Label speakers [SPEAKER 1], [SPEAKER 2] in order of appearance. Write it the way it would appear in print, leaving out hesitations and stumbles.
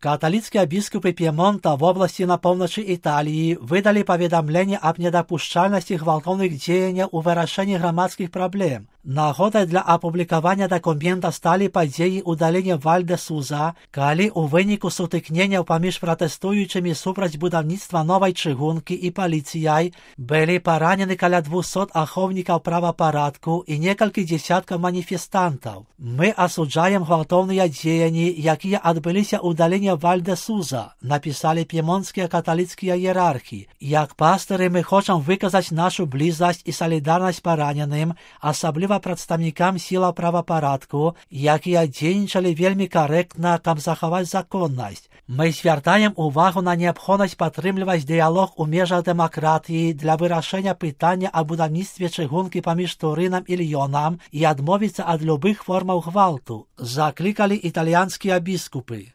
[SPEAKER 1] Католицкие біскупи Пьемонта в области на поўначы Італіі выдали паведамленне аб недапушчальнасці гвалтоўных дзеянняў у вырашэнні грамадскіх праблем. Нагодай для апублікавання дакумента сталі падзеі ўдалення Валь-де-Суза, калі ў выніку сутыкненняў паміж пратэстуючымі супраць будаўніцтва новай чыгункі і паліцыяй былі паранены каля 200 ахоўнікаў правапарадку і некалькі дзесяткаў маніфестантаў. Мы асуджаем гвалтоўныя дзеянні, якія адбыліся ў даліне Валь-де-Суза, напісалі п'емонтскія каталіцкія іерархі. Як пастыры мы хочам выказаць нашу блізасць і салідарнасць параненым, асабліва прадстаўнікам сілаў правапарадку, якія дзейнічалі вельмі карэктна, каб захаваць законнасць. Мы звяртаем увагу на неабходнасць падтрымліваць дыялог у межах дэмакратыі для вырашэння пытання аб будаўніцтве чыгункі паміж Турынам і Льёнам і адмовіцца ад любых формаў гвалту, заклікалі італьянскія біскупы.